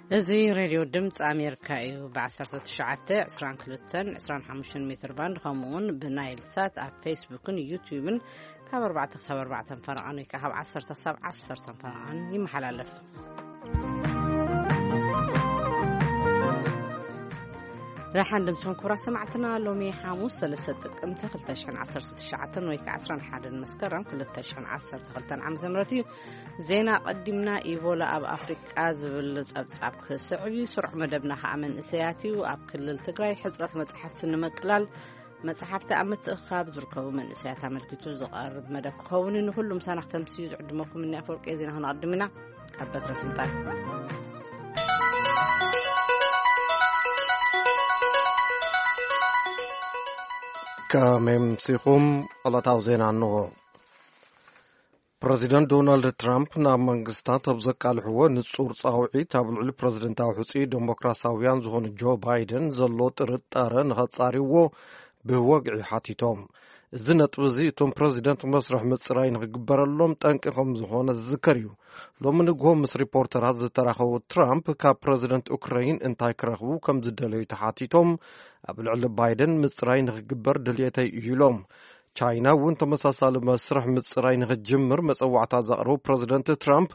እዚ ሬድዮ ድምፂ ኣሜሪካ እዩ። ብ19፣ 22፣ 25 ሜትር ባንድ፣ ከምኡ እውን ብናይል ሳት ኣብ ፌስቡክን ዩቲዩብን ካብ ኣርባዕተ ክሳብ ኣርባዕተ ፈረቓን ወይ ከዓ ካብ ዓሰርተ ክሳብ ዓሰርተ ፈረቓን ይመሓላለፍ። ደሓን ድምፅኹም ክቡራት ሰማዕትና። ሎሚ ሓሙስ ሰለስተ ጥቅምቲ ክልተ ሽሕን ዓሰርተ ትሽዓተን ወይ ከዓ ዓሰርተ ሓደ መስከረም ክልተ ሽሕን ዓሰርተ ክልተን ዓመተ ምህረት እዩ። ዜና ቀዲምና። ኢቦላ ኣብ ኣፍሪቃ ዝብል ጸብጻብ ክስዕብ እዩ። ስሩዕ መደብና ከኣ መንእሰያት እዩ። ኣብ ክልል ትግራይ ሕጽረት መጽሓፍቲ ንምቅላል መጽሓፍቲ ኣብ ምትእኽኻብ ዝርከቡ መንእሰያት ኣመልኪቱ ዝቐርብ መደብ ክኸውን እዩ። ንኹሉ ምሳና ክተምስዩ ዝዕድመኩም እኒ ኣፈወርቂ ዜና ክነቐድም ኢና። ካብ በትረ ስልጣን ከመይ ኣምሲኹም? ዕለታዊ ዜና እንሆ። ፕረዚደንት ዶናልድ ትራምፕ ናብ መንግስታት ኣብ ዘቃልሕዎ ንጹር ጻውዒት፣ ኣብ ልዕሊ ፕረዚደንታዊ ሕጹይ ዴሞክራሲያውያን ዝኾኑ ጆ ባይደን ዘሎ ጥርጣረ ንኸጻርይዎ ብወግዒ ሓቲቶም። እዚ ነጥቢ እዚ እቶም ፕረዚደንት መስርሕ ምጽራይ ንኽግበረሎም ጠንቂ ከም ዝኾነ ዝዝከር እዩ። ሎሚ ንግሆ ምስ ሪፖርተራት ዝተራኸቡ ትራምፕ፣ ካብ ፕረዚደንት ኡክራይን እንታይ ክረኽቡ ከም ዝደለዩ ተሓቲቶም፣ ኣብ ልዕሊ ባይደን ምጽራይ ንኽግበር ድልየተይ እዩ ኢሎም። ቻይና እውን ተመሳሳሊ መስርሕ ምጽራይ ንኽትጅምር መጸዋዕታ ዘቕረቡ ፕረዚደንት ትራምፕ፣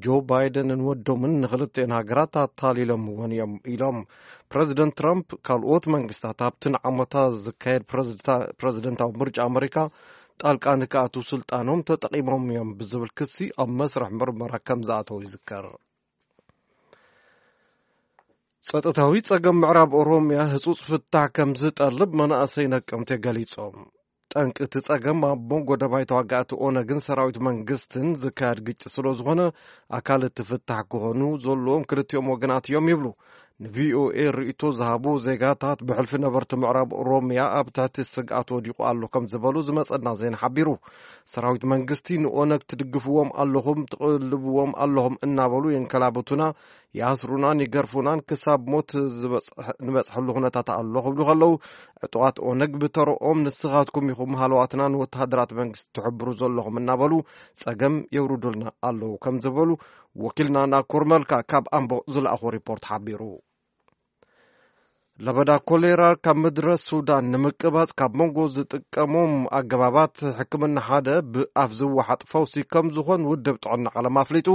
ጆ ባይደንን ወዶምን ንኽልቲኤን ሃገራት ኣታሊሎምወን እዮም ኢሎም። ፕረዚደንት ትራምፕ፣ ካልኦት መንግስታት ኣብቲ ንዓመታ ዝካየድ ፕረዚደንታ-፣ ፕረዚደንታዊ ምርጫ ኣመሪካ ጣልቃ ንክኣትዉ ስልጣኖም ተጠቒሞም እዮም ብዝብል ክሲ ኣብ መስርሕ ምርመራ ከም ዝኣተዉ ይዝከር። ጸጥታዊ ጸገም ምዕራብ ኦሮምያ ህጹጽ ፍታሕ ከም ዝጠልብ መናእሰይ ነቀምቴ ገሊጾም። ጠንቂ እቲ ጸገም ኣብ መንጎ ደባይ ተዋጋእቲ ኦነግን ሰራዊት መንግስትን ዝካየድ ግጭት ስለ ዝኾነ፣ ኣካል እቲ ፍታሕ ክኾኑ ዘለዎም ክልቲኦም ወገናት እዮም ይብሉ ንቪኦኤ ርእይቶ ዝሃቡ ዜጋታት። ብሕልፊ ነበርቲ ምዕራብ ኦሮምያ ኣብ ትሕቲ ስግኣት ወዲቑ ኣሎ ከም ዝበሉ ዝመጸና ዜና ሓቢሩ። ሰራዊት መንግስቲ ንኦነግ ትድግፍዎም ኣለኹም፣ ትቕልብዎም ኣለኹም እናበሉ የንከላብቱና፣ ይኣስሩናን ይገርፉናን፣ ክሳብ ሞት ዝበጽሕ-፣ ንበጽሐሉ ኩነታት ኣሎ ክብሉ ከለዉ፣ ዕጡቓት ኦነግ ብተረኦም ንስኻትኩም ኢኹም ሃለዋትና ንወተሃደራት መንግስቲ ትሕብሩ ዘለኹም እናበሉ ጸገም የውርዱልና ኣለዉ ከም ዝበሉ ወኪልና ናኮር መልካ ካብ ኣምቦ ዝለኣኾ ሪፖርት ሓቢሩ። ለበዳ ኮሌራ ካብ ምድረ ሱዳን ንምቅባጽ ካብ መንጎ ዝጥቀሞም ኣገባባት ሕክምና ሓደ ብኣፍ ዝወሓጥ ፈውሲ ከም ዝኾን ውድብ ጥዕና ዓለም ኣፍሊጡ።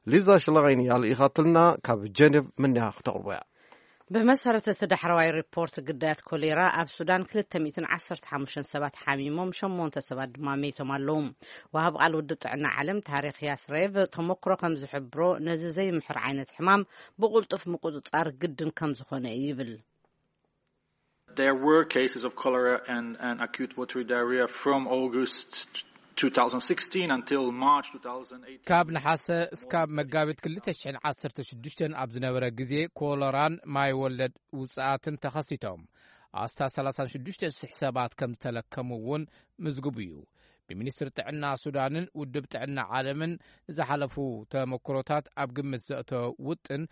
ሊዛ ሽለጋይን እያ ልኢኻትልና፣ ካብ ጀኔቭ ምንያ ክተቕርቦ እያ። ብመሰረት እቲ ዳሕረዋይ ሪፖርት፣ ግዳያት ኮሌራ ኣብ ሱዳን ክልተ ሚእትን ዓሰርተ ሓሙሽተን ሰባት ሓሚሞም፣ ሸሞንተ ሰባት ድማ መይቶም ኣለዉ። ወሃብ ቃል ውድብ ጥዕና ዓለም ታሪክ ያስሬቭ፣ ተመክሮ ከም ዝሕብሮ፣ ነዚ ዘይምሕር ዓይነት ሕማም ብቕልጡፍ ምቁጽጻር ግድን ከም ዝኾነ ይብል። There were cases of cholera and, and acute watery diarrhea from August two thousand sixteen until March two thousand eighteen. ካብ ነሓሰ እስካብ መጋቢት ክልተ ሽሕን ዓሰርተ ሽዱሽተን ኣብ ዝነበረ ግዜ፣ ኮለራን ማይ ወለድ ውጽኣትን ተኸሲቶም። ኣስታት ሰላሳን ሽዱሽተ ሽሕ ሰባት ከም ዝተለከሙ እውን ምዝግቡ እዩ። ብሚኒስትሪ ጥዕና ሱዳንን ውድብ ጥዕና ዓለምን ዝሓለፉ ተመክሮታት ኣብ ግምት ዘእተወ ውጥን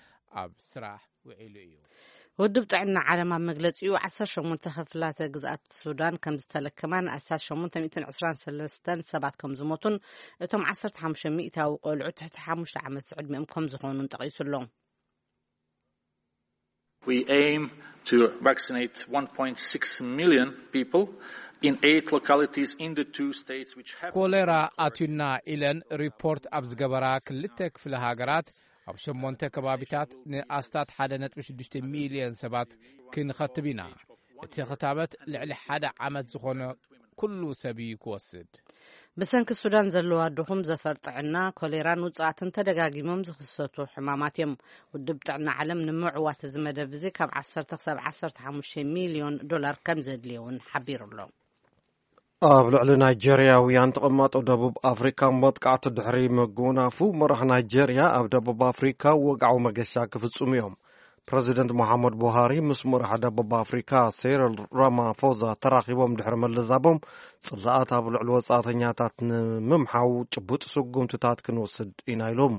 ኣብ ስራሕ ውዒሉ እዩ። ውድብ ጥዕና ዓለም ኣብ መግለጺኡ፣ ዓሰርተ ሸሞንተ ክፍላተ ግዝኣት ሱዳን ከም ዝተለከማን ኣስታት ሸሞንተ ሚእትን ዕስራን ሰለስተን ሰባት ከም ዝሞቱን፣ እቶም ዓሰርተ ሓሙሽተ ሚእታዊ ቆልዑ ትሕቲ ሓሙሽተ ዓመት ዕድሚኦም ከም ዝኾኑን ጠቒሱ ኣሎ። We aim to vaccinate one point six million people in eight localities in the two states which have ኮሌራ ኣትዩና ኢለን ሪፖርት ኣብ ዝገበራ ክልተ ክፍለ ሃገራት፣ ኣብ ሸሞንተ ከባቢታት ንኣስታት ሓደ ነጥቢ ሽዱሽተ ሚልዮን ሰባት ክንኸትብ ኢና። እቲ ክታበት ልዕሊ ሓደ ዓመት ዝኾነ ኩሉ ሰብ እዩ ክወስድ። ብሰንኪ ሱዳን ዘለዋ ድኹም ዘፈር ጥዕና፣ ኮሌራን ውጽኣትን ተደጋጊሞም ዝኽሰቱ ሕማማት እዮም። ውድብ ጥዕና ዓለም ንምዕዋት እዚ መደብ እዚ ካብ ዓሰርተ ክሳብ ዓሰርተ ሓሙሽተ ሚልዮን ዶላር ከም ዘድልዮ እውን ሓቢሩ ኣሎ። ኣብ ልዕሊ ናይጀርያውያን ተቐማጦ ደቡብ ኣፍሪካ መጥቃዕቲ ድሕሪ ምግውናፉ፣ መራሕ ናይጀርያ ኣብ ደቡብ ኣፍሪካ ወግዓዊ መገሻ ክፍጽሙ እዮም። ፕረዚደንት መሓመድ ቡሃሪ ምስ መራሕ ደቡብ ኣፍሪካ ሴሪል ራማፎዛ ተራኺቦም ድሕሪ ምልዛቦም፣ ጽላኣት ኣብ ልዕሊ ወጻእተኛታት ንምምሓው ጭቡጥ ስጉምትታት ክንወስድ ኢና ኢሎም።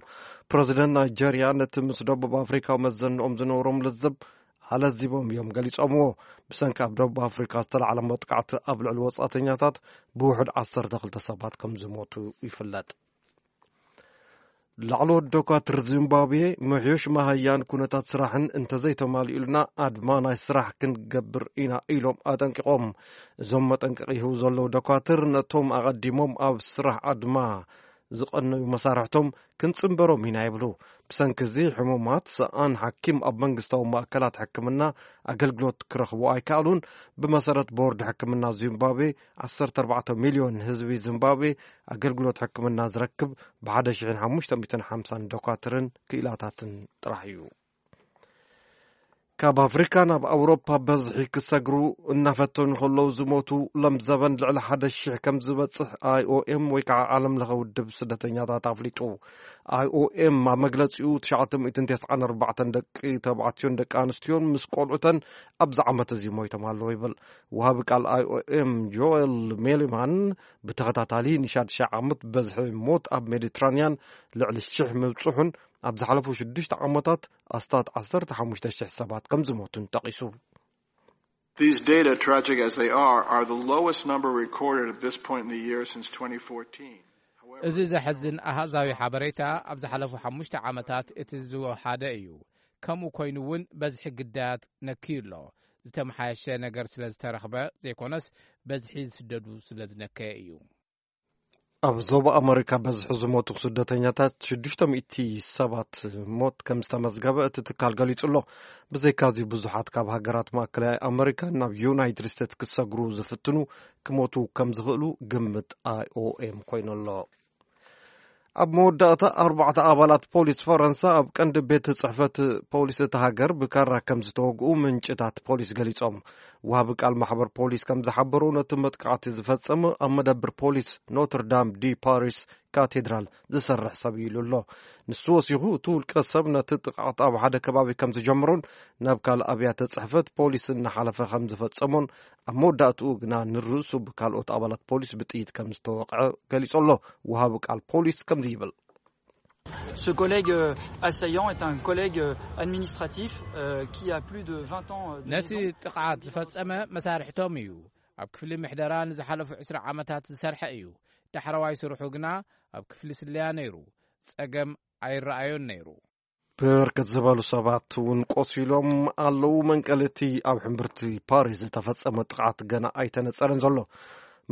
ፕረዚደንት ናይጀርያ ነቲ ምስ ደቡብ ኣፍሪካ መዘንኦም ዝነበሮም ልዝብ ኣለዚቦም እዮም ገሊጾምዎ። ብሰንኪ ኣብ ደቡብ ኣፍሪካ ዝተላዕለ መጥቃዕቲ ኣብ ልዕሊ ወጻእተኛታት ብውሑድ ዓሰርተ ክልተ ሰባት ከም ዝሞቱ ይፍለጥ። ላዕለዎት ዶኳትር ዚምባብዌ ምሕዮሽ መሃያን ኩነታት ስራሕን እንተዘይተማሊኡልና ኣድማ ናይ ስራሕ ክንገብር ኢና ኢሎም ኣጠንቂቖም። እዞም መጠንቀቂ ይህቡ ዘለዉ ዶኳትር ነቶም ኣቐዲሞም ኣብ ስራሕ ኣድማ ዝቐነዩ መሳርሕቶም ክንጽንበሮም ኢና ይብሉ። ብሰንኪ እዚ ሕሙማት ሰኣን ሓኪም ኣብ መንግስታዊ ማእከላት ሕክምና ኣገልግሎት ክረኽቡ ኣይከኣሉን። ብመሰረት ቦርድ ሕክምና ዚምባብዌ ዓሰርተ ኣርባዕተ ሚልዮን ህዝቢ ዚምባብዌ ኣገልግሎት ሕክምና ዝረክብ ብ ሓደ ሺሕን ሓሙሽተ ሚእትን ሓምሳን ዶኳትርን ክኢላታትን ጥራሕ እዩ። ካብ ኣፍሪካ ናብ ኣውሮፓ በዝሒ ክሰግሩ እናፈተኑ ከለዉ ዝሞቱ ለምዘበን ልዕሊ ሓደ ሺሕ ከም ዝበፅሕ ኣይኦኤም ወይ ከዓ ዓለም ለኸ ውድብ ስደተኛታት ኣፍሊጡ። ኣይኦኤም ኣብ መግለፂኡ ትሽዓተ ሚእትን ተስዓን ኣርባዕተን ደቂ ተባዕትዮን ደቂ ኣንስትዮን ምስ ቆልዑተን ኣብዚ ዓመት እዚ ሞይቶም ኣለዉ ይብል። ወሃቢ ቃል ኣይኦኤም ጆኤል ሜሊማን ብተኸታታሊ ንሻድሻይ ዓመት በዝሒ ሞት ኣብ ሜዲትራንያን ልዕሊ ሽሕ ምብፅሑን ኣብ ዝሓለፉ ሽዱሽተ ዓመታት ኣስታት ዓሰርተ ሓሙሽተ ሽሕ ሰባት ከም ዝሞቱን ጠቒሱ። These data, tragic as they are, are the lowest number recorded at this point in the year since twenty fourteen. እዚ ዘሐዝን ኣሃዛዊ ሓበሬታ ኣብ ዝሓለፉ ሓሙሽተ ዓመታት እቲ ዝወሓደ እዩ። ከምኡ ኮይኑ እውን በዝሒ ግዳያት ነክዩ ኣሎ። ዝተመሓየሸ ነገር ስለ ዝተረኽበ ዘይኮነስ በዝሒ ዝስደዱ ስለ ዝነከየ እዩ። ኣብ ዞባ ኣመሪካ በዝሒ ዝሞቱ ስደተኛታት ሽዱሽተ ሚእቲ ሰባት ሞት ከም ዝተመዝገበ እቲ ትካል ገሊጹ ኣሎ። ብዘይካዚ ብዙሓት ካብ ሃገራት ማእከላይ ኣመሪካ ናብ ዩናይትድ ስቴትስ ክሰግሩ ዝፍትኑ ክሞቱ ከም ዝኽእሉ ግምት ኣይኦኤም ኮይኑ ኣሎ። ኣብ መወዳእታ ኣርባዕተ ኣባላት ፖሊስ ፈረንሳ ኣብ ቀንዲ ቤት ጽሕፈት ፖሊስ እቲ ሃገር ብካራ ከም ዝተወግኡ ምንጭታት ፖሊስ ገሊጾም። ወሃቢ ቃል ማሕበር ፖሊስ ከም ዝሓበሩ ነቲ መጥቃዕቲ ዝፈጸመ ኣብ መደብር ፖሊስ ኖትርዳም ዲ ፓሪስ ካቴድራል ዝሰርሕ ሰብ ኢሉ ኣሎ። ንሱ ወሲኹ እቲ ውልቀ ሰብ ነቲ ጥቕዓት ኣብ ሓደ ከባቢ ከም ዝጀምሮን ናብ ካልእ ኣብያተ ጽሕፈት ፖሊስ እናሓለፈ ከም ዝፈጸሞን ኣብ መወዳእትኡ ግና ንርእሱ ብካልኦት ኣባላት ፖሊስ ብጥይት ከም ዝተወቕዐ ገሊጹ ኣሎ። ወሃቢ ቃል ፖሊስ ከምዚ ይብል። Ce collègue euh, assaillant est un collègue euh, administratif euh, qui a plus de vingt ans euh, de ነቲ maison. ጥቕዓት ዝፈጸመ መሳርሕቶም እዩ። ኣብ ክፍሊ ምሕደራ ንዝሓለፉ ዕስራ ዓመታት ዝሰርሐ እዩ። ዳሕረዋይ ስርሑ ግና ኣብ ክፍሊ ስለያ ነይሩ። ጸገም ኣይረኣዮን ነይሩ። ብርክት ዝበሉ ሰባት እውን ቆሲሎም ኣለዉ። መንቀሊ እቲ ኣብ ሕምብርቲ ፓሪስ ዝተፈጸመ ጥቕዓት ገና ኣይተነጸረን ዘሎ።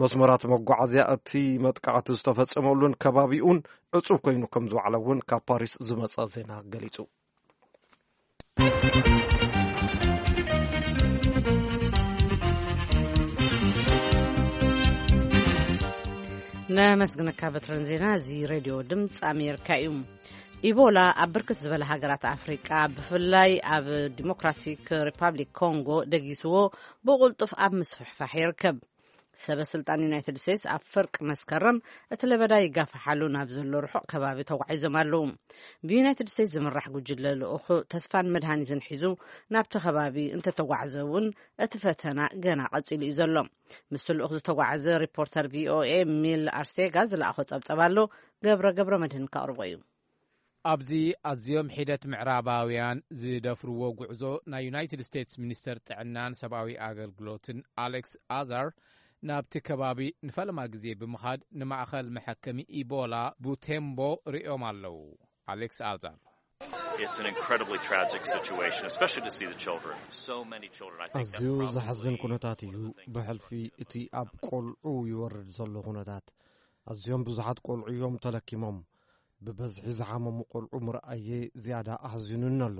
መስመራት መጓዓዝያ እቲ መጥቃዕቲ ዝተፈጸመሉን ከባቢኡን ዕጹብ ኮይኑ ከም ዝወዓለ እውን ካብ ፓሪስ ዝመጸ ዜና ገሊጹ። ነመስግነካ በትረን ዜና። እዚ ሬድዮ ድምፂ ኣሜሪካ እዩ። ኢቦላ ኣብ ብርክት ዝበለ ሃገራት ኣፍሪቃ ብፍላይ ኣብ ዲሞክራቲክ ሪፓብሊክ ኮንጎ ደጊስዎ ብቕልጡፍ ኣብ ምስፍሕፋሕ ይርከብ። ሰበ ስልጣን ዩናይትድ ስቴትስ ኣብ ፍርቂ መስከረም እቲ ለበዳ ይጋፋሓሉ ናብ ዘሎ ርሑቕ ከባቢ ተጓዒዞም ኣለዉ። ብዩናይትድ ስቴትስ ዝምራሕ ጉጅለ ልኡኹ ተስፋን መድሃኒትን ሒዙ ናብቲ ከባቢ እንተተጓዕዘ እውን እቲ ፈተና ገና ቀጺሉ እዩ ዘሎ። ምስቲ ልኡኽ ዝተጓዕዘ ሪፖርተር ቪኦኤ ሚል ኣርሴጋ ዝለኣኾ ጸብጸብ ኣሎ። ገብረ ገብረ መድህን ከቕርቦ እዩ። ኣብዚ ኣዝዮም ሒደት ምዕራባውያን ዝደፍርዎ ጉዕዞ ናይ ዩናይትድ ስቴትስ ሚኒስተር ጥዕናን ሰብኣዊ ኣገልግሎትን ኣሌክስ ኣዛር ናብቲ ከባቢ ንፈለማ ግዜ ብምኻድ ንማእኸል መሐከሚ ኢቦላ ቡቴምቦ ርእዮም ኣለዉ። ኣሌክስ ኣዛር It's an incredibly tragic situation, especially to see the children. So many children, I think that's ኣዝዩ probably ዘሕዝን ኩነታት እዩ። one of the things ብሕልፊ እቲ ኣብ ቆልዑ ይወርድ ዘሎ ኩነታት ኣዝዮም ብዙሓት ቆልዑ እዮም ተለኪሞም። ብበዝሒ ዝሓመሙ ቆልዑ ምርኣየ ዝያዳ ኣሕዚኑኒ ኣሎ።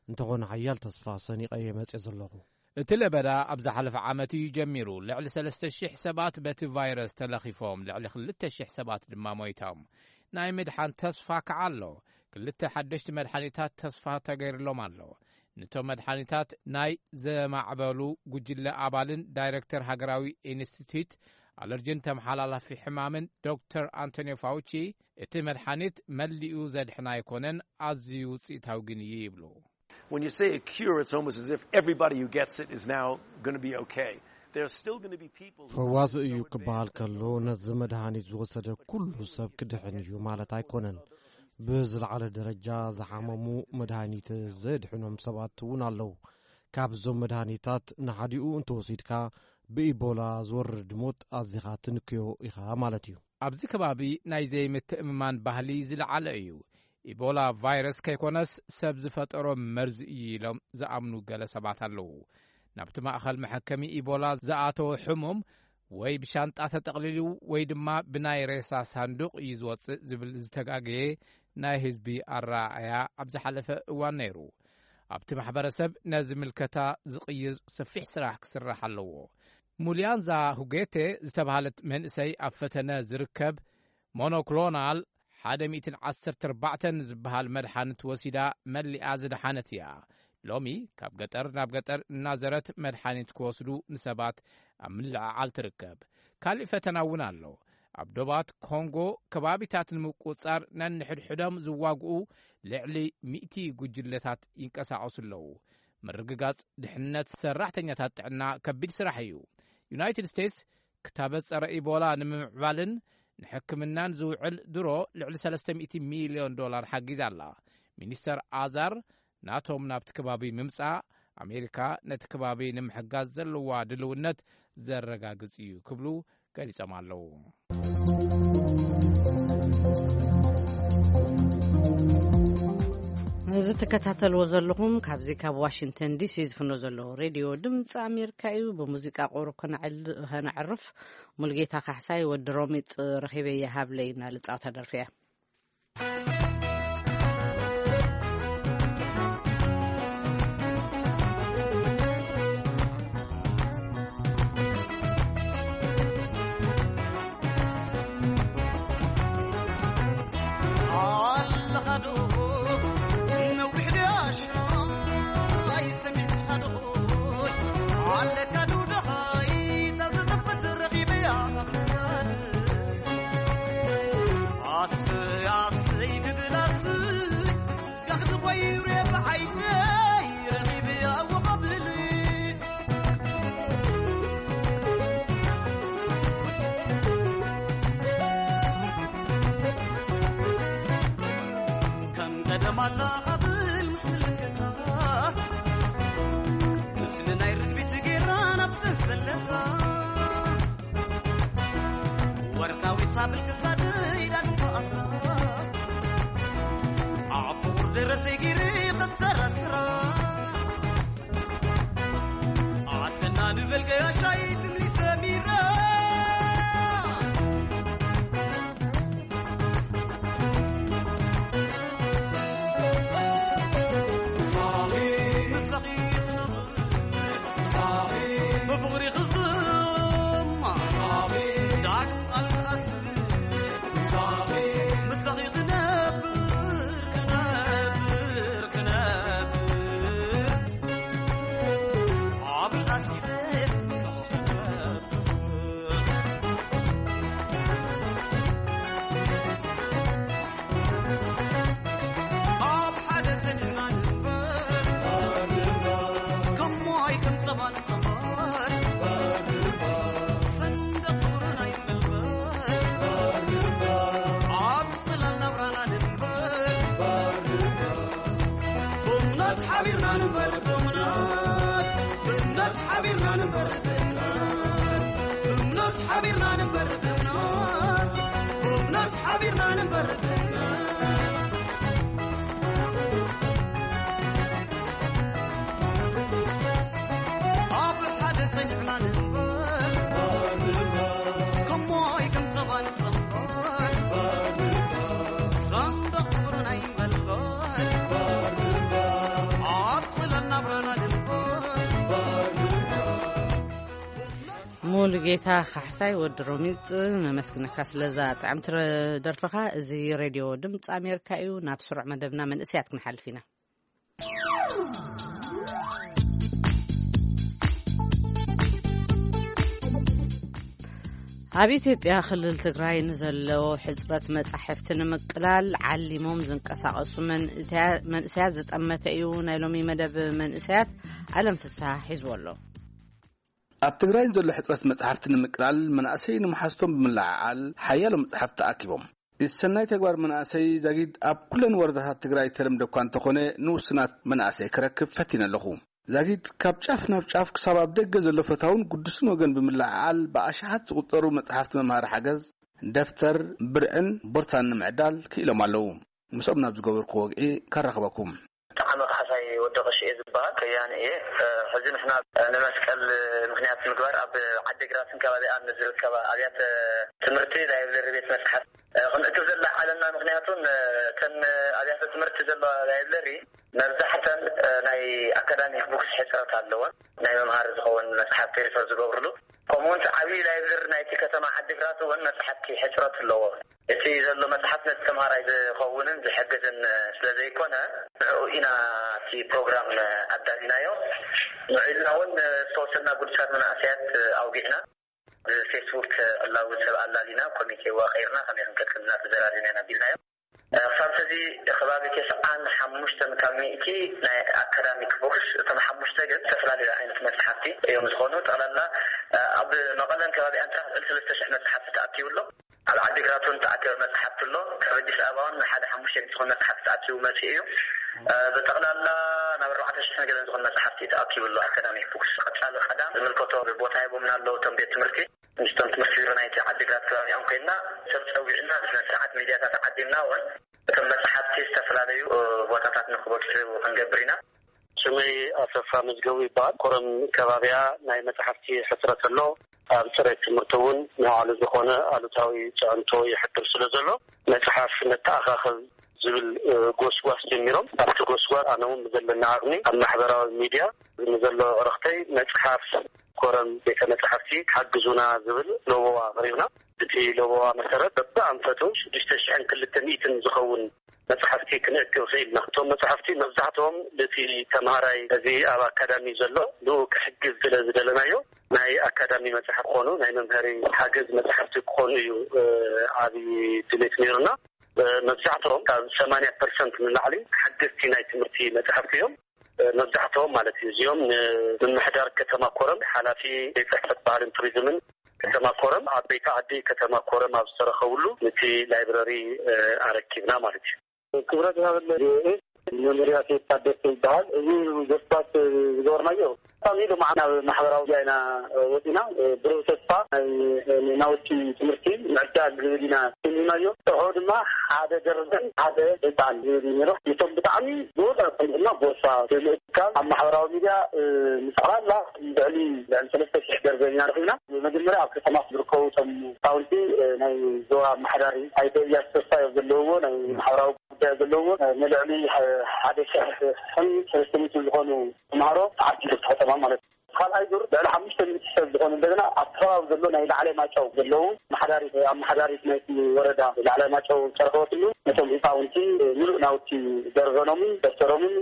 እንተኾነ ሓያል ተስፋ ሰኒቐ እየ መፅየ ዘለኹ። እቲ ለበዳ ኣብ ዝሓለፈ ዓመት እዩ ጀሚሩ። ልዕሊ ሰለስተ ሽሕ ሰባት በቲ ቫይረስ ተለኺፎም፣ ልዕሊ ክልተ ሽሕ ሰባት ድማ ሞይቶም። ናይ ምድሓን ተስፋ ከዓ ኣሎ። ክልተ ሓደሽቲ መድሓኒታት ተስፋ ተገይርሎም ኣሎ። ነቶም መድሓኒታት ናይ ዘማዕበሉ ጉጅለ ኣባልን ዳይረክተር ሃገራዊ ኢንስቲትዩት ኣለርጅን ተመሓላላፊ ሕማምን ዶክተር ኣንቶኒዮ ፋውቺ፣ እቲ መድሓኒት መሊኡ ዘድሕን ኣይኮነን፣ ኣዝዩ ውፅኢታዊ ግን እዩ ይብሉ። When you say a cure, it's almost as if everybody who gets it is now going to be okay. There are still going to be people who ፈዋሲ እዩ ክበሃል ከሎ ነዚ መድሃኒት ዝወሰደ ኩሉ ሰብ ክድሕን እዩ ማለት ኣይኮነን። ብዝለዓለ ደረጃ ዝሓመሙ መድሃኒት ዘድሕኖም ሰባት እውን ኣለዉ። ካብዞም መድሃኒታት ንሓዲኡ እንተወሲድካ ብኢቦላ ዝወርድ ሞት ኣዚኻ ትንክዮ ኢኻ ማለት እዩ። ኣብዚ ከባቢ ናይ ዘይምትእምማን ባህሊ ዝለዓለ እዩ። ኢቦላ ቫይረስ ከይኮነስ ሰብ ዝፈጠሮ መርዚ እዩ ኢሎም ዝኣምኑ ገለ ሰባት ኣለዉ። ናብቲ ማእኸል መሐከሚ ኢቦላ ዝኣተወ ሕሙም ወይ ብሻንጣ ተጠቕሊሉ ወይ ድማ ብናይ ሬሳ ሳንዱቕ እዩ ዝወጽእ ዝብል ዝተጋገየ ናይ ህዝቢ ኣረኣእያ ኣብ ዝሓለፈ እዋን ነይሩ። ኣብቲ ማሕበረሰብ ነዚ ምልከታ ዝቕይር ሰፊሕ ስራሕ ክስራሕ ኣለዎ። ሙልያንዛ ሁጌቴ ዝተባህለት መንእሰይ ኣብ ፈተነ ዝርከብ ሞኖክሎናል ሓደ ሚእትን ዓሰርተ ኣርባዕተን ዝበሃል መድሓኒት ወሲዳ መሊኣ ዝደሓነት እያ። ሎሚ ካብ ገጠር ናብ ገጠር እናዘረት መድሓኒት ክወስዱ ንሰባት ኣብ ምልዕዓል ትርከብ። ካሊእ ፈተና እውን ኣሎ። ኣብ ዶባት ኮንጎ ከባቢታት ንምቁጽጻር ነንሕድሕዶም ዝዋግኡ ልዕሊ ሚእቲ ጉጅለታት ይንቀሳቐሱ ኣለዉ። ምርግጋጽ ድሕነት ሰራሕተኛታት ጥዕና ከቢድ ስራሕ እዩ። ዩናይትድ ስቴትስ ክታበት ጸረ ኢቦላ ንምምዕባልን ንሕክምናን ዝውዕል ድሮ ልዕሊ ሰለስተ ሚእቲ ሚልዮን ዶላር ሓጊዛ ኣላ። ሚኒስተር ኣዛር ናቶም ናብቲ ከባቢ ምምጻእ ኣሜሪካ ነቲ ከባቢ ንምሕጋዝ ዘለዋ ድልውነት ዘረጋግጽ እዩ ክብሉ ገሊጾም ኣለዉ። እዚ ትከታተልዎ ዘለኹም ካብዚ ካብ ዋሽንግተን ዲሲ ዝፍኖ ዘሎ ሬድዮ ድምፂ ኣሜሪካ እዩ። ብሙዚቃ ቁሩብ ከነዕል-፣ ከነዕርፍ። ሙልጌታ ካሕሳይ ወዲ ሮሚጥ ረኺበያ ሃብለይ እናልፃወታ ደርፊ እያ። ሙሉጌታ ካሕሳይ ወዲ ሮሚጥ፣ ነመስግነካ ስለዛ ጥዕምቲ ደርፍኻ። እዚ ሬድዮ ድምፂ ኣሜሪካ እዩ። ናብ ስሩዕ መደብና መንእሰያት ክንሓልፍ ኢና። ኣብ ኢትዮጵያ ክልል ትግራይ ንዘሎ ሕፅረት መፃሕፍቲ ንምቅላል ዓሊሞም ዝንቀሳቐሱ መንእሰያ-፣ መንእሰያት ዝጠመተ እዩ። ናይ ሎሚ መደብ መንእሰያት ኣለም ፍስሃ ሒዝዎ ኣሎ። ኣብ ትግራይ ንዘሎ ሕፅረት መፃሕፍቲ ንምቅላል መናእሰይ ንምሓዝቶም ብምልዕዓል ሓያሎ መፃሕፍቲ ተኣኪቦም። እዚ ሰናይ ተግባር መናእሰይ ዛጊድ ኣብ ኩለን ወረዳታት ትግራይ ዝተለምደ እኳ እንተኾነ ንውሱናት መናእሰይ ክረክብ ፈቲነ ኣለኹ። ዛጊድ ካብ ጫፍ ናብ ጫፍ ክሳብ ኣብ ደገ ዘሎ ፈታውን ግዱስን ወገን ብምልዕዓል ብኣሽሓት ዝቑጸሩ መጻሕፍቲ መምሃሪ ሓገዝ፣ ደፍተር፣ ብርዕን ቦርሳን ንምዕዳል ክኢሎም ኣለዉ። ምስኦም ናብ ዝገበርኩ ወግዒ ከራኽበኩም። ጠዓመ ካሕሳይ ወዲ ቀሺ እየ ዝበሃል፣ ከያኒ እየ። ሕዚ ንሕና ንመስቀል ምኽንያት ምግባር ኣብ ዓዲግራትን ከባቢኣን ንዝርከባ ኣብያተ ትምህርቲ ላይብረሪ ቤት መጽሓፍ ክንእክብ ዘለና ዓለምና። ምኽንያቱን እተን ኣብያተ ትምህርቲ ዘለዋ ላይብረሪ መብዛሕተን ናይ ኣካዳሚክ ቡክስ ሕፅረት ኣለወን፣ ናይ መምሃሪ ዝኸውን መጽሓፍቲ ሪፈር ዝገብርሉ። ከምኡውን እቲ ዓብዪ ላይብረሪ ናይቲ ከተማ ዓዲግራት እውን መጽሓፍቲ ሕፅረት ኣለዎ። እቲ ዘሎ መጽሓፍ ነቲ ተምሃራይ ዝኸውንን ዝሕግዝን ስለ ዘይኮነ፣ ንዕኡ ኢና እቲ ፕሮግራም ኣዳሊናዮ። ንዕኡ ኢልና እውን ዝተወሰና ጉዱሳት መናእሰያት ኣውጊዕና። ብፌስቡክ ዕላዊ ሰብ ኣላሊና ኮሚቴ ዋቐይርና ከመይ ክንቀጽል እና ተዘራሪብና ኢና ቢልናዮ። ክሳብ ሕዚ ከባቢ ተስዓን ሓሙሽተን ካብ ሚእቲ ናይ ኣካዳሚክ ቡክስ፣ እቶም ሓሙሽተ ግን ዝተፈላለዩ ዓይነት መጽሓፍቲ እዮም ዝኾኑ። ጠቕላላ ኣብ መቐለን ከባቢኣን ጥራሕ ልዕሊ ሰለስተ ሽሕ መጽሓፍቲ ተኣኪቡ ኣሎ። ኣብ ዓዲግራት እውን ተኣከበ መጽሓፍቲ ኣሎ። ካብ ኣዲስ ኣበባ እውን ሓደ ሓሙሽተ ሚእቲ ዝኾኑ መጽሓፍቲ ተኣኪቡ መጽኡ እዩ። ብጠቕላላ ናብ ኣርባዕተ ሽሕ ገለን ዝኾኑ መጽሓፍቲ ተኣኪቡ ኣሎ። ኣካዳሚክ ቡክስ ቀጻሊ ቀዳም ዝምልከቶ ቦታ ሂቦምና ኣለዉ እቶም ቤት ትምህርቲ። ምስቶም ትምህርቲ ቢሮ ናይቲ ዓዲግራት ከባቢኦም ኮይንና ሰብ ጸዊዕና ብስነ ስርዓት ሚድያታት ዓዲምና እውን እቶም መጽሓፍቲ ዝተፈላለዩ ቦታታት ንክበጽሑ ክንገብር ኢና። ስመይ ኣሰፋ መዝገቡ ይበሃል። ኮረም ከባቢያ ናይ መጽሓፍቲ ሕጽረት ኣሎ። ኣብ ጽሬት ትምህርቲ እውን ንባዕሉ ዝኾነ ኣሉታዊ ጽዕንቶ ይሕድር ስለ ዘሎ መጽሓፍ ነተኣኻኽብ ዝብል ጎስጓስ ጀሚሮም። ኣብቲ ጎስጓስ ኣነ እውን ብዘለና ዓቕሚ ኣብ ማሕበራዊ ሚድያ ንዘሎ ዕረኽተይ መጽሓፍ ኮረም ቤተ መጻሕፍቲ ሓግዙና ዝብል ሎቦዋ ኣቕሪብና። እቲ ሎቦዋ መሰረት በብኣንፈቱ ሽዱሽተ ሽሕን ክልተ ሚእትን ዝኸውን መጽሓፍቲ ክንእክብ ክኢልና። እቶም መጽሓፍቲ መብዛሕትኦም እቲ ተምሃራይ እዚ ኣብ ኣካዳሚ ዘሎ ንኡ ክሕግዝ ስለ ዝደለናዮ ናይ ኣካዳሚ መጽሓፍ ክኾኑ ናይ መምሃሪ ሓገዝ መጽሓፍቲ ክኾኑ እዩ ዓብዪ ድሌት ነይሩና። መብዛሕትኦም ካብ ሰማንያ ፐርሰንት ንላዕሊ ሓገዝቲ ናይ ትምህርቲ መጽሓፍቲ እዮም። መብዛሕትኦም ማለት እዩ። እዚኦም ንምምሕዳር ከተማ ኮረም ሓላፊ ቤት ጽሕፈት ባህልን ቱሪዝምን ከተማ ኮረም ኣብ ቤት ዓዲ ከተማ ኮረም ኣብ ዝተረኸብሉ ነቲ ላይብረሪ ኣረኪብና ማለት እዩ። ክብረት ይሃበለ መምርያ ሴት ታደሰ ይበሃል። እዚ ዘስባት ዝገበርናዮ ሳሚ ድማ ናብ ማሕበራዊ ሚድያ ኢና ወፂና። ብሩህ ተስፋ ናይ ናውቲ ትምህርቲ ምዕዳል ዝብል ኢና ስሚናዮ። ጥርሑ ድማ ሓደ ደርዘን ሓደ ህፃን ዝብል እዩ ነይሩ። እቶም ብጣዕሚ ዝወፀ ድማ ቦርሳ ብምእካብ ኣብ ማሕበራዊ ሚድያ ምፅዕላላ ልዕሊ ልዕሊ ሰለስተ ሽሕ ደርዘን ኢና ረኺብና። መጀመርያ ኣብ ከተማ ዝርከቡ እቶም ህፃውንቲ ናይ ዞባ ኣመሓዳሪ ኣይተ እያሱ ተስፋ እዮም ዘለውዎ ናይ ማሕበራዊ ጉዳይ ዘለውዎ ንልዕሊ ሓደ ሽሕን ሰለስተ ሚእትን ዝኾኑ ተምሃሮ ዓዲ ከተማ ማለት እዩ። ካልኣይ ዙር ልዕሊ ሓሙሽተ ሚእቲ ሰብ ዝኾኑ እንደገና ኣብ ከባቢ ዘሎ ናይ ላዕላይ ማጨው ዘለዉ ኣመሓዳሪት ኣመሓዳሪት ናይቲ ወረዳ ላዕላይ ማጨው ዝተረኸበትሉ ነቶም ህፃውንቲ ምሉእ ናውቲ ደርዘኖምን ደብተሮምን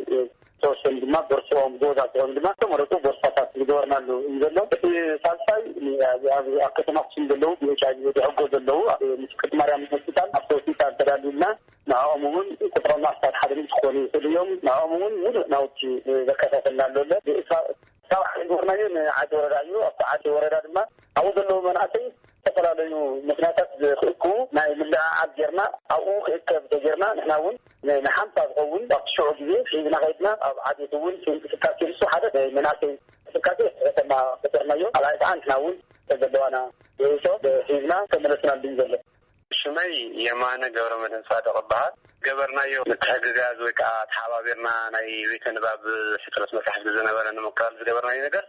ዝተወሰኑ ድማ ቦርሶኦም ገዛ ዝኾኑ ድማ ዝተመረፁ ቦርሳታት ዝገበርናሉ እዩ ዘሎ። እቲ ሳልሳይ ኣብ ኣብ ከተማ ኣክሱም ዘለዉ ብኤች ኣይ ቪ ዝሕጎ ዘለዉ ኣብ ምስ ቅድስት ማርያም ሆስፒታል ኣብቲ ሆስፒታል ተዳልዩልና ንዕኦም እውን ቁፅሮም ኣስታት ሓደ ሚእቲ ክኾኑ ይኽእሉ እዮም። ንዕኦም እውን ሙሉእ ናውቲ ዘከፋፈልና ኣሎ ኣሎ ካብ ዓዲ ጎርናዮ ንዓዲ ወረዳ እዩ። ኣብቲ ዓዲ ወረዳ ድማ ኣብኡ ዘለዉ መናእሰይ ዝተፈላለዩ ምክንያታት ዝክእክቡ ናይ ምልዕዓል ጌርና ኣብኡ ክእከብ ተጌርና ንሕና እውን ንሓምሳ ዝኸውን ኣብቲ ሽዑ ግዜ ሒዝና ከይድና ኣብ ዓዴት እውን እንቅስቃሴ ንሱ ሓደ ናይ መናእሰይ እንቅስቃሴ ከተማ ፈጠርናዮ። ካልኣይ ከዓ ንሕና እውን ዘለዋና ርእይቶ ሒዝና ተመለስናሉ እዩ ዘሎ። ሽመይ የማነ ገብረ መድህን ጻድቕ እበሃል። ገበርናዮ ምትሕግጋዝ ወይ ከዓ ተሓባቢርና ናይ ቤተ ንባብ ሕፅረት መፅሓፍቲ ዝነበረ ንምክላል ዝገበርናዮ ነገር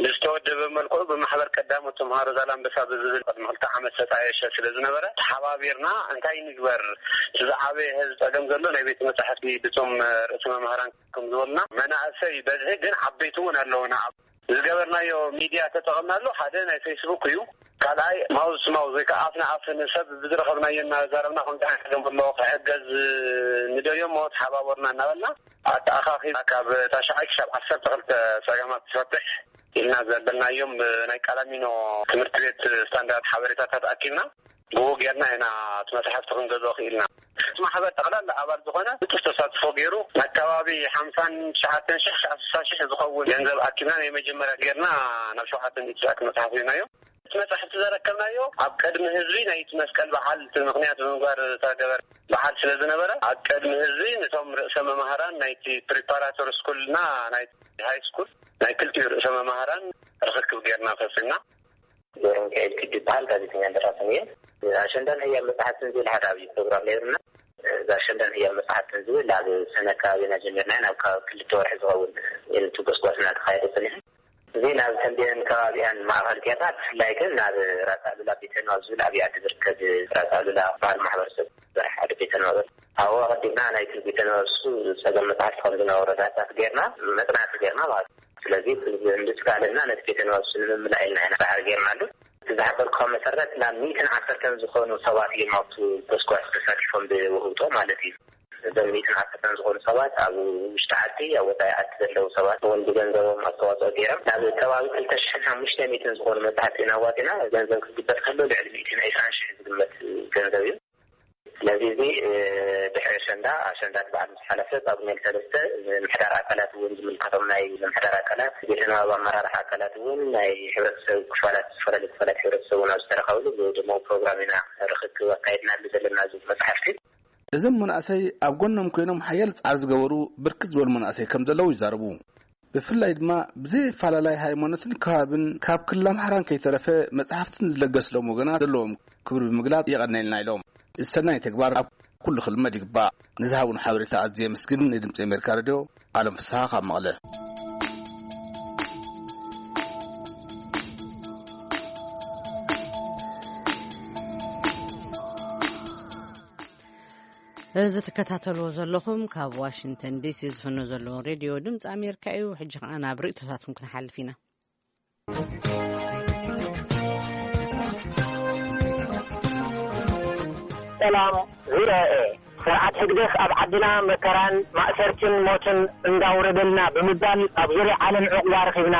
ብዝተወደበ መልክዑ ብማሕበር ቀዳሞት ተምሃሮ ዛላምበሳ ብዝብል ቅድሚ ክልተ ዓመት ዝተጣየሸ ስለ ዝነበረ ተሓባቢርና እንታይ ንግበር እቲ ዝዓበየ ህዝቢ ፀገም ዘሎ ናይ ቤተ መፃሕፍቲ ብቶም ርእሲ መምህራን ከም ዝበሉና መናእሰይ በዝሒ ግን ዓበይቲ እውን ኣለውና ዝገበርናዮ ሚድያ ተጠቐምናሉ ሓደ ናይ ፌስቡክ እዩ። ካልኣይ ማውዝ ማውዝ ወይ ከዓ ኣፍ ንኣፍ ንሰብ ብዝረኸብናዮ እናዛረብና ከምዚ ዓይነት ገም ኣሎ ክሕገዝ ንደልዮ እሞ ተሓባበሩና እናበልና ኣተኣኻኺ ካብ ታሽዓይ ክሳብ ዓሰርተ ክልተ ፀገማት ትፈትሕ ኢልና ዘበልናዮም ናይ ቃላሚኖ ትምህርቲ ቤት ስታንዳርድ ሓበሬታታት ኣኪብና ብኡ ጌርና ኢና እቲ መፅሓፍቲ ክንገዝኦ ክኢልና። እቲ ማሕበር ጠቕላላ ኣባል ዝኾነ ብጡፍ ተሳትፎ ገይሩ ናብ ከባቢ ሓምሳን ትሽዓተን ሽሕ ክሳብ ስሳ ሽሕ ዝኸውን ገንዘብ ኣኪብና ናይ መጀመርያ ጌርና ናብ ሸውዓተ ሚእቲ ዝኣክል መፅሓፍ ሂብናዮ። እቲ መፅሓፍቲ ዘረከብናዮ ኣብ ቅድሚ ህዝቢ ናይቲ መስቀል በዓል እቲ ምኽንያት ብምግባር ዝተገበረ በዓል ስለ ዝነበረ ኣብ ቅድሚ ህዝቢ ነቶም ርእሰ መማህራን ናይቲ ፕሪፓራቶሪ ስኩልና ናይ ሃይ ስኩል ናይ ክልቲኡ ርእሰ መማህራን ርኽክብ ጌርና ፈፂምና። ገብረሚካኤል ክዲ ይበሃል። ጋዜጠኛን ደራስን እየ። ኣሸንዳን ህያብ መጽሓፍትን ዝብል ሓደ ዓብዪ ፕሮግራም ነይሩና። እዛ ሸንዳን ህያብ መጽሓፍትን ዝብል ኣብ ሰነ ኣካባቢና ጀሚርና ኢና። ኣብ ከባቢ ክልተ ወርሒ ዝኸውን እዩ እቲ ጎስጓስ እናተኻየደ ጸኒሑ። እዚ ናብ ተምቤን ከባቢኣን ማእኸል ጌርና፣ ብፍላይ ግን ናብ ራስ ኣሉላ ቤተ ንባብ ዝብል ኣብይ ዓዲ ዝርከብ ራስ ኣሉላ በዓል ማሕበረሰብ ዝሰርሕ ሓደ ቤተ ንባብ፣ ኣብኡ ኣቐዲምና ናይቲ ቤተ ንባብ እሱ ጸገም መጽሓፍቲ ከም ዝነበሮ ዳህሳስ ጌርና፣ መጽናዕቲ ጌርና ማለት እዩ። ስለዚ እንድስካልና ነቲ ቤተ ንባብ እሱ ንምምላእ ኢልና ኢና ጻዕሪ ጌርናሉ። እቲ ዝሓበርኩኻ መሰረት ናብ ሚእትን ዓሰርተን ዝኾኑ ሰባት እዮም ኣብቱ ጎስጓስ ተሳቲፎም ብውህብቶ ማለት እዩ። እዞም ሚእትን ዓሰርተን ዝኾኑ ሰባት ኣብ ውሽጢ ዓዲ፣ ኣብ ወፃኢ ዓዲ ዘለዉ ሰባት እውን ብገንዘቦም ኣስተዋፅኦ ገይሮም ናብ ከባቢ ክልተ ሽሕን ሓሙሽተ ሚእትን ዝኾኑ መፅሓፍቲ ኢና ኣዋፂና። ገንዘብ ክግበጥ ከሎ ልዕሊ ሚእትን ዕስራን ሽሕ ዝግመት ገንዘብ እዩ። ስለዚ እዚ ድሕሪ ኣሸንዳ፣ ኣሸንዳ በዓል ምስ ሓለፈ ጳጉሜ ሰለስተ ምሕዳር ኣካላት እውን ዝምልከቶም ናይ ምሕዳር ኣካላት፣ ቤተ ንባብ ኣመራርሓ ኣካላት እውን ናይ ሕብረተሰብ ክፋላት፣ ዝተፈላለዩ ክፋላት ሕብረተሰብ እውን ኣብ ዝተረኸብሉ ብድሙቕ ፕሮግራም ኢና ርኽክብ ኣካይድናሉ ዘለና እዚ መፅሓፍቲ። እዞም መናእሰይ ኣብ ጎኖም ኮይኖም ሓያል ጻዕሪ ዝገበሩ ብርክት ዝበሉ መናእሰይ ከም ዘለዉ ይዛረቡ። ብፍላይ ድማ ብዘይ ኣፈላላይ ሃይማኖትን ከባብን ካብ ክልል ኣምሓራን ከይተረፈ መጽሓፍትን ዝለገስሎም ወገናት ዘለዎም ክብሪ ብምግላጽ የቐነልና ኢሎም። እዚ ሰናይ ተግባር ኣብ ኩሉ ክልመድ ይግባእ። ንዝሃቡን ሓበሬታ ኣዝየ የመስግን። ንድምጺ ኣሜሪካ ሬድዮ ኣለም ፍስሃ ካብ መቐለ። እዚ ትከታተልዎ ዘለኹም ካብ ዋሽንግተን ዲሲ ዝፍኖ ዘሎ ሬድዮ ድምፂ ኣሜሪካ እዩ። ሕጂ ከኣ ናብ ርእይቶታትኩም ክንሓልፍ ኢና። ሰላም ቪኦኤ። ስርዓት ህግደፍ ኣብ ዓድና መከራን ማእሰርትን ሞትን እንዳውረደልና ብምባል ኣብ ዙርያ ዓለም ዕቑባ ረኺብና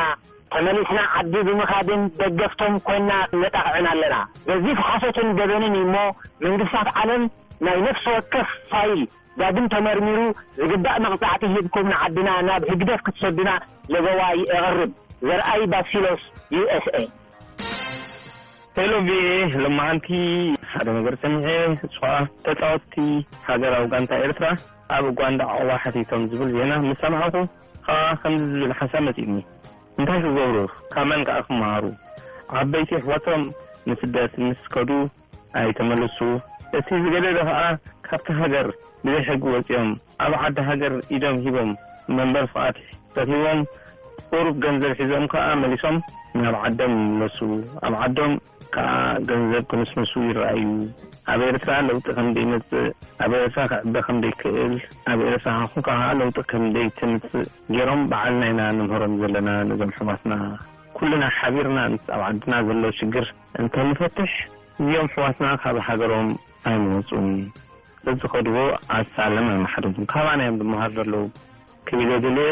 ተመሊስና ዓዲ ብምኻድን ደገፍቶም ኮይና ነጣቕዕን ኣለና። ገዚፍ ሓሶትን ገበንን እዩ እሞ መንግስታት ዓለም ናይ ነፍሲ ወከፍ ፋይል ዳግም ተመርሚሩ ዝግባእ መቕጻዕቲ ሂብኩም ንዓድና ናብ ህግደፍ ክትሰዱና ለበዋይ እቕርብ። ዘርኣይ ባሲሎስ ዩ ኤስ ኤ። ሄሎ ቪኦኤ፣ ሎማዓንቲ ሓደ ነገር ሰሚዐ። እሱ ኸዓ ተጻወትቲ ሃገራዊ ጋንታ ኤርትራ ኣብ ኡጋንዳ ዕቑባ ሓቲቶም ዝብል ዜና ምስ ሰማዕኹ ኸዓ ከምዚ ዝብል ሓሳብ መጺኡኒ። እንታይ ክገብሩ? ካብ መን ከኣ ክመሃሩ? ዓበይቲ ኣሕዋቶም ንስደት ምስ ከዱ ኣይተመለሱ። እቲ ዝገደደ ከኣ ካብቲ ሃገር ብዘይ ሕጊ ወጺኦም ኣብ ዓዲ ሃገር ኢዶም ሂቦም መንበሪ ፍቓድ ረኺቦም ቁሩብ ገንዘብ ሒዞም ከኣ መሊሶም ናብ ዓዶም ይምለሱ። ኣብ ዓዶም ከኣ ገንዘብ ክንስንሱ ይረኣዩ። ኣብ ኤርትራ ለውጢ ከም ዘይመጽእ፣ ኣብ ኤርትራ ክዕበ ከም ዘይክእል፣ ኣብ ኤርትራ ከኣ ለውጢ ከም ዘይትምጽእ ገይሮም ባዕልና ኢና ንምህሮም ዘለና ነዞም ሕዋትና። ኩልና ሓቢርና ምስ ኣብ ዓድና ዘሎ ሽግር እንተንፈትሕ እዚኦም ሕዋትና ካብ ሃገሮም ኣይምወጹን። በዝኸድዎ ኣሳለም ኣይመሓድሩን። ካባና እዮም ዝመሃሩ ዘለዉ። ክብል እየ ደልየ።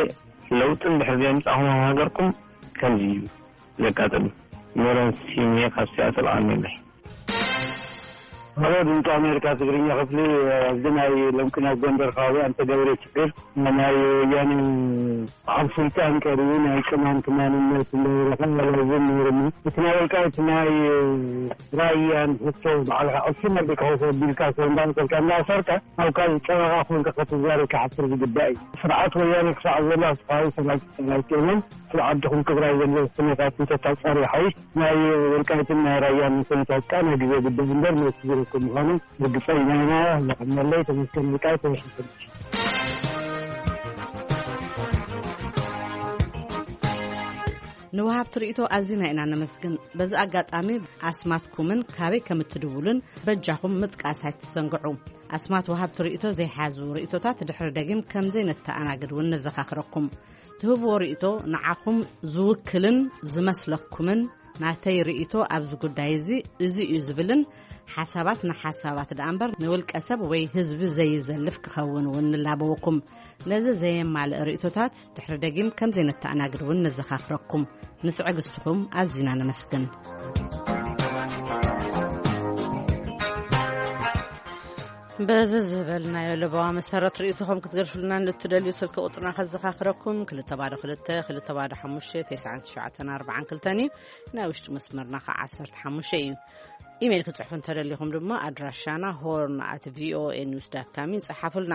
ለውጢ እንድሕር ዘየምጻእኹም ኣብ ሃገርኩም ከምዚ እዩ ዘጋጥም። ሜሮን ሲሜ ካብ ሲያትል ኣሜለይ። ሄሎ ድምፂ ኣሜሪካ ትግርኛ ክፍሊ፣ ኣብዚ ናይ ሎምቅነ ኣብ ጎንደር ከባቢ ኣንተ ገብረ ችግር ናይ ወያነ በዓል ስልጣን ቀሪቡ ናይ ቅማንት ማንነት እንዳበለካ ያለዝን ነይርሞ እቲ ናይ ወልቃይት ናይ ራያን ሕቶ በዓልካ ዕሱ መልክ ከውሰ ቢልካ ሰው እንዳመሰልካ እንዳሰርካ ኣብ ካልእ ጨረቃ ኮንካ ከተዛሪ ክሓፍር ዝግባእ እዩ። ስርዓት ወያነ ክሳዕ ዘሎ ኣብ ከባቢ ሰላም ኣይትእመን። ስለ ዓድኹም ትግራይ ዘሎ ኩነታት እንተታፀሪ ሓይሽ ናይ ወልቃይትን ናይ ራያን ኩነታት ቃ ናይ ግዜ ጉዳይ እምበር መልሲ ዝረክብ ምዃኑ ርግፀኛ ኢና። ዘቐመለይ ተመስገን ወልቃይት ተወሽፈልች። ንወሃብቲ ርእይቶ ኣዚና ኢና ነመስግን። በዚ ኣጋጣሚ ኣስማትኩምን ካበይ ከም እትድውሉን በጃኹም ምጥቃስ ኣይትዘንግዑ። ኣስማት ወሃብቲ ርእይቶ ዘይሓዙ ርእይቶታት ድሕሪ ደጊም ከም ዘይነተኣናግድ እውን ነዘኻኽረኩም። ትህብዎ ርእይቶ ንዓኹም ዝውክልን ዝመስለኩምን ናተይ ርእይቶ ኣብዚ ጉዳይ እዚ እዚ እዩ ዝብልን ሓሳባት ንሓሳባት ደኣ እምበር ንውልቀ ሰብ ወይ ህዝቢ ዘይዘልፍ ክኸውን እውን ንላበወኩም። ነዚ ዘየማልእ ርእይቶታት ድሕሪ ደጊም ከም ዘይነተኣናግድ እውን ነዘኻኽረኩም። ንትዕግስትኹም ኣዚና ነመስግን። በዚ ዝበልናዮ ለበዋ መሰረት ርእይቶኹም ክትገድፍሉና ንእትደልዩ ስልኪ ቁጽርና ከዘኻኽረኩም፣ ክልተ ባዶ ክልተ፣ ክልተ ባዶ ሓሙሽተ፣ ተስዓን ትሽዓተን ኣርባዓን ክልተን እዩ። ናይ ውሽጢ መስመርና ኸዓ ዓሰርተ ሓሙሽተ እዩ። ኢሜይል ክትጽሕፉ እንተደሊኹም ድማ ኣድራሻና ሆርን ኣት ቪኦኤ ኒውስ ዳት ካም እዩ። ጸሓፉልና።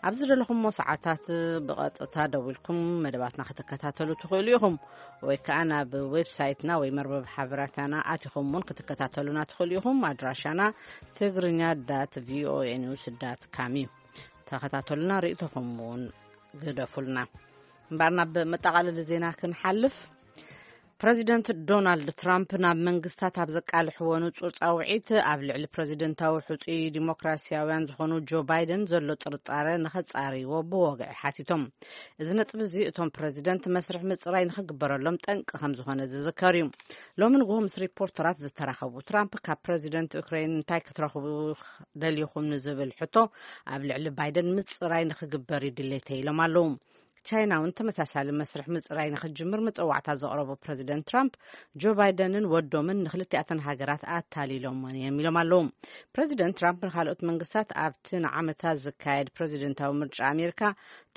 ኣብ ዝደለኹምዎ ሰዓታት ብቐጥታ ደዊልኩም መደባትና ክትከታተሉ ትኽእሉ ኢኹም፣ ወይ ከኣ ናብ ዌብሳይትና ወይ መርበብ ሓበራታና ኣቲኹም እውን ክትከታተሉና ትኽእሉ ኢኹም። ኣድራሻና ትግርኛ ዳት ቪኦኤ ኒውስ ዳት ካም እዩ። ተኸታተሉና፣ ርእይቶኹም እውን ግደፉልና። እምበኣር ናብ መጠቓለሊ ዜና ክንሓልፍ። ፕረዚደንት ዶናልድ ትራምፕ ናብ መንግስታት ኣብ ዘቃልሕዎ ንጹር ጻውዒት፣ ኣብ ልዕሊ ፕረዚደንታዊ ሕጹይ ዲሞክራሲያውያን ዝኾኑ ጆ ባይደን ዘሎ ጥርጣረ ንኸጻርይዎ ብወግዒ ሓቲቶም። እዚ ነጥቢ እዚ እቶም ፕረዚደንት መስርሕ ምጽራይ ንኽግበረሎም ጠንቂ ከም ዝኾነ ዝዝከር እዩ። ሎሚ ንግሆ ምስ ሪፖርተራት ዝተራኸቡ ትራምፕ፣ ካብ ፕረዚደንት ዩክሬን እንታይ ክትረኽቡ ደሊኹም ንዝብል ሕቶ፣ ኣብ ልዕሊ ባይደን ምጽራይ ንኽግበር እዩ ድሌተይ ኢሎም ኣለዉ። ቻይና እውን ተመሳሳሊ መስርሕ ምጽራይ ንኽትጅምር መጸዋዕታ ዘቕረቡ ፕረዚደንት ትራምፕ፣ ጆ ባይደንን ወዶምን ንክልቲኣተን ሃገራት ኣታሊሎመን እዮም ኢሎም ኣለዉ። ፕረዚደንት ትራምፕ ንኻልኦት መንግስታት ኣብቲ ንዓመታት ዝካየድ ፕረዚደንታዊ ምርጫ ኣሜሪካ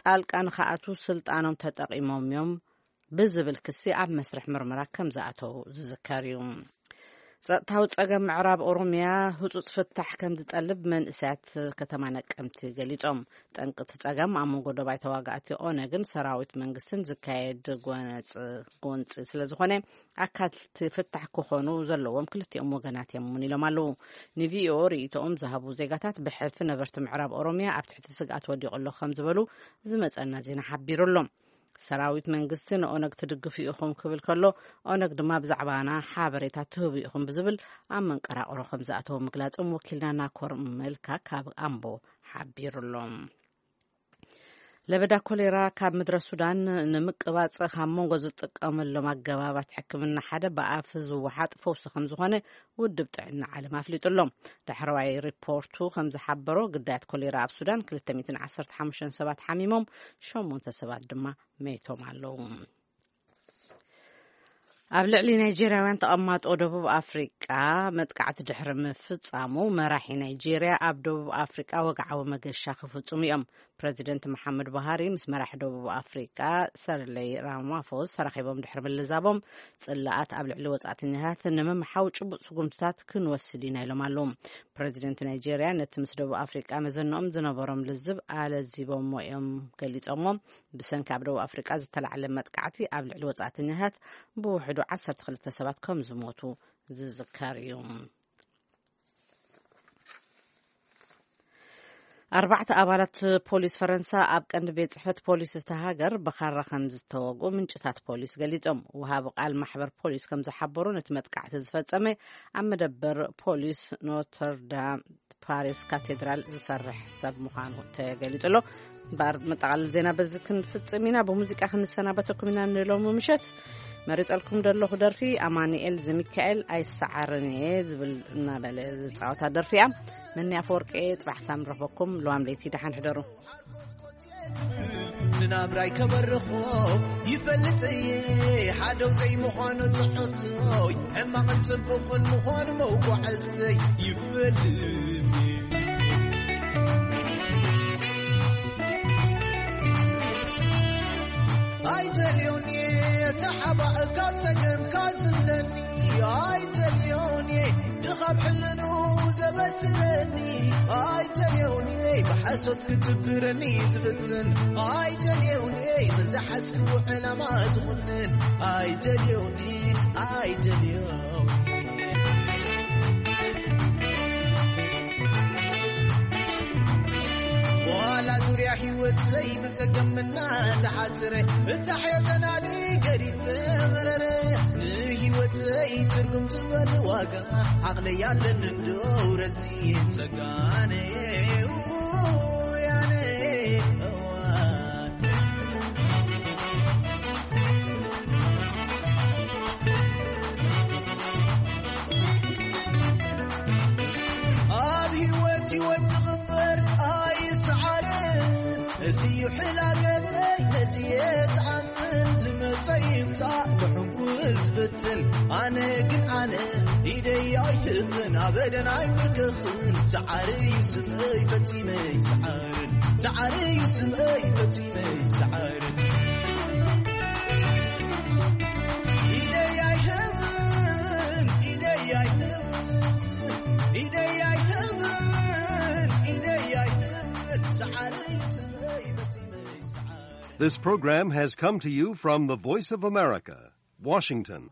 ጣልቃ ንኽኣትዉ ስልጣኖም ተጠቒሞም እዮም ብዝብል ክሲ ኣብ መስርሕ ምርመራ ከም ዝኣተዉ ዝዝከር እዩ። ጸጥታዊ ጸገም ምዕራብ ኦሮምያ ህጹጽ ፍታሕ ከም ዝጠልብ መንእሰያት ከተማ ነቀምቲ ገሊጾም። ጠንቂ እቲ ጸገም ኣብ መንጎ ደባይ ተዋጋእቲ ኦነግን ሰራዊት መንግስትን ዝካየድ ጎነጽ-፣ ጎንጺ ስለ ዝኾነ፣ ኣካልቲ ፍታሕ ክኾኑ ዘለዎም ክልቲኦም ወገናት እዮም እውን ኢሎም ኣለዉ። ንቪኦኦ ርእይቶኦም ዝሃቡ ዜጋታት፣ ብሕልፊ ነበርቲ ምዕራብ ኦሮምያ ኣብ ትሕቲ ስግኣት ወዲቑ ኣሎ ከም ዝበሉ ዝመጸና ዜና ሓቢሩ ኣሎ። ሰራዊት መንግስቲ ንኦነግ ትድግፉ ኢኹም ክብል ከሎ፣ ኦነግ ድማ ብዛዕባና ሓበሬታ ትህቡ ኢኹም ብዝብል ኣብ መንቀራቕሮ ከም ዝኣተወ ምግላጾም ወኪልና ናኮር መልካ ካብ ኣምቦ ሓቢሩ ኣሎ። ለበዳ ኮሌራ ካብ ምድረ ሱዳን ንምቅባጽ ካብ መንጎ ዝጥቀመሎም ኣገባባት ሕክምና ሓደ ብኣፍ ዝወሓጥ ፈውሲ ከም ዝኾነ ውድብ ጥዕና ዓለም ኣፍሊጡ ኣሎ። ዳሕረዋይ ሪፖርቱ ከም ዝሓበሮ፣ ግዳያት ኮሌራ ኣብ ሱዳን ክልተ ሚእትን ዓሰርተ ሓሙሽተን ሰባት ሓሚሞም፣ ሸሞንተ ሰባት ድማ መይቶም ኣለዉ። ኣብ ልዕሊ ናይጄርያውያን ተቐማጦ ደቡብ ኣፍሪቃ መጥቃዕቲ ድሕሪ ምፍጻሙ፣ መራሒ ናይጄርያ ኣብ ደቡብ ኣፍሪቃ ወግዓዊ መገሻ ክፍጽሙ እዮም። ፕረዚደንት መሓመድ ቡሃሪ ምስ መራሒ ደቡብ ኣፍሪቃ ሰርለይ ራማፎስ ተራኺቦም ድሕሪ ምልዛቦም፣ ጽላኣት ኣብ ልዕሊ ወጻእተኛታት ንምምሓው ጭቡጥ ስጉምትታት ክንወስድ ኢና ኢሎም ኣለዉ። ፕረዚደንት ናይጄርያ ነቲ ምስ ደቡብ ኣፍሪቃ መዘንኦም ዝነበሮም ልዝብ ኣለዚቦሞ እዮም ገሊጾሞ። ብሰንኪ ኣብ ደቡብ ኣፍሪቃ ዝተላዕለ መጥቃዕቲ ኣብ ልዕሊ ወጻእተኛታት ብውሕዱ ዓሰርተ ክልተ ሰባት ከም ዝሞቱ ዝዝከር እዩ። ኣርባዕተ ኣባላት ፖሊስ ፈረንሳ ኣብ ቀንዲ ቤት ጽሕፈት ፖሊስ እታ ሃገር ብኻራ ከም ዝተወግኡ ምንጭታት ፖሊስ ገሊጾም። ወሃቢ ቃል ማሕበር ፖሊስ ከም ዝሓበሩ፣ ነቲ መጥቃዕቲ ዝፈጸመ ኣብ መደበር ፖሊስ ኖተርዳም ፓሪስ ካቴድራል ዝሰርሕ ሰብ ምዃኑ ተገሊጹ ኣሎ። እምበኣር መጠቓለሊ ዜና በዚ ክንፍጽም ኢና። ብሙዚቃ ክንሰናበተኩም ኢና ንሎሚ ምሸት። መሪጸልኩም ዘለኹ ደርፊ ኣማኑኤል ዘሚካኤል ኣይሰዓርን እየ ዝብል እናበለ ዝጻወታ ደርፊ እያ። መኒ ኣፈወርቂ እየ። ጽባሕ ክሳብ ንረኽበኩም፣ ለዋም ለይቲ ደሓን ሕደሩ። ንናብራይ ከበርኾ ይፈልጥ እየ፣ ሓደው ዘይምዃኑ ጽሑፍቶይ፣ ሕማቕን ጽቡቕን ምዃኑ መጓዓዝተይ ይፈልጥ እየ። ኣይደልዮን እየ ተሓባእ ካብ ጸገምካ ዝብለኒ፣ ኣይደልዮን እየ ድኻብ ሕልኑ ዘበስለኒ፣ ኣይደልዮን እየ ብሓሶት ክትብረኒ ዝፍትን፣ ኣይደልዮን እየ ንዝሓዝክዎ ዕላማ ዝኹንን፣ ኣይደልዮን እየ፣ ኣይደልዮን እየ። ዋላ ዙርያ ህይወት ዘይብጸገም እናተሓጽረ፣ እታ ሕዮ ተናዲ ገዲፈ መረረ። ንህይወተይ ትርጉም ዝበል ዋጋ ዓቕለይ ኣለኒ እንዶ ረዚን ጸጋነ ያነ እዋን። ኣብ ህይወት ይወድቕ እምበር ኣይስዓርን። እዚ እዩ ሕላገተይ፣ ነዚ እየ ዝኣምን። ዝመጸ ይምጻእ፣ ዝሕንኩል ዝፍትን። ኣነ ግን ኣነ፣ ኢደይ ኣይህብን፣ ኣበደን ኣይምርክኽን። ሰዓሪ እዩ ስመይ፣ ፈጺመ ኣይስዓርን። ሰዓሪ እዩ ስመይ፣ ፈጺመ ኣይስዓርን። ኢደይ ኣይህብን፣ ኢደይ ኣይህብን። This program has come to you from the Voice of America, Washington.